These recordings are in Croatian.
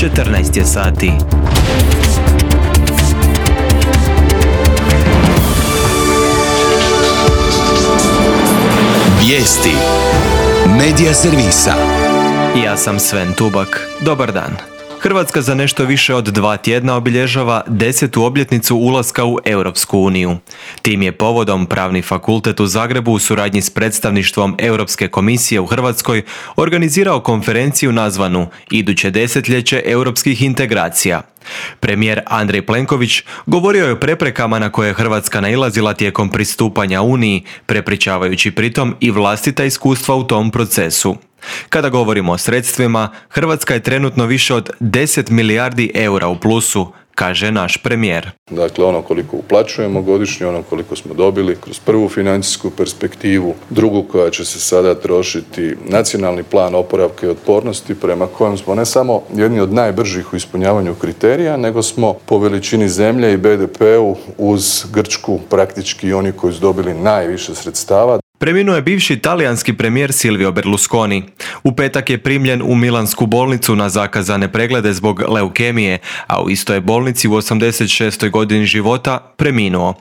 14 je sati. Vijesti Medija servisa. Ja sam Sven Tubak. Dobar dan. Hrvatska za nešto više od 2 tjedna obilježava 10. obljetnicu ulaska u Europsku uniju. Tim je povodom Pravni fakultet u Zagrebu u suradnji s predstavništvom Europske komisije u Hrvatskoj organizirao konferenciju nazvanu Iduće desetljeće europskih integracija. Premijer Andrej Plenković govorio je o preprekama na koje je Hrvatska nailazila tijekom pristupanja Uniji, prepričavajući pritom i vlastita iskustva u tom procesu. Kada govorimo o sredstvima, Hrvatska je trenutno više od 10 milijardi eura u plusu, kaže naš premijer. Dakle, ono koliko uplaćujemo godišnje, ono koliko smo dobili kroz prvu financijsku perspektivu, drugu koja će se sada trošiti, nacionalni plan oporavka i otpornosti prema kojem smo ne samo jedni od najbržih u ispunjavanju kriterija, nego smo po veličini zemlje i BDP-u uz Grčku praktički oni koji su dobili najviše sredstava. Preminuo je bivši talijanski premijer Silvio Berlusconi. U petak je primljen u milansku bolnicu na zakazane preglede zbog leukemije, a u istoj bolnici u 86. godini života preminuo.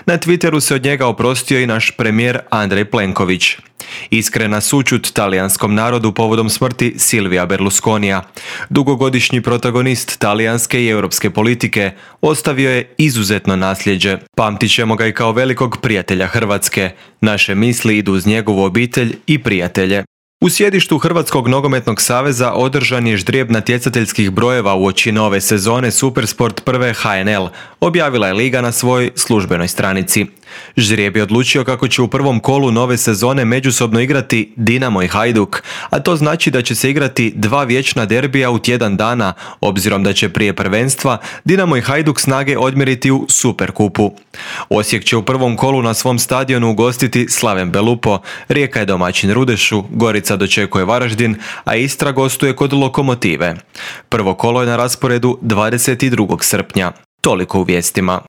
Na Twitteru se od njega oprostio i naš premijer Andrej Plenković. Iskrena sućut talijanskom narodu povodom smrti Silvia Berlusconija. Dugogodišnji protagonist talijanske i europske politike ostavio je izuzetno nasljeđe. Pamtit ćemo ga i kao velikog prijatelja Hrvatske. Naše misli idu uz njegovu obitelj i prijatelje. U sjedištu Hrvatskog nogometnog saveza održan je ždrijeb natjecateljskih brojeva uoči nove sezone Supersport prve HNL, objavila je Liga na svojoj službenoj stranici. Ždrijeb je odlučio kako će u prvom kolu nove sezone međusobno igrati Dinamo i Hajduk, a to znači da će se igrati 2 vječna derbija u tjedan dana, obzirom da će prije prvenstva Dinamo i Hajduk snage odmjeriti u Superkupu. Osijek će u prvom kolu na svom stadionu ugostiti Slaven Belupo, Rijeka je domaćin Rudešu, Gorica dočekuje Varaždin, a Istra gostuje kod Lokomotive. Prvo kolo je na rasporedu 22. srpnja. Toliko u vijestima.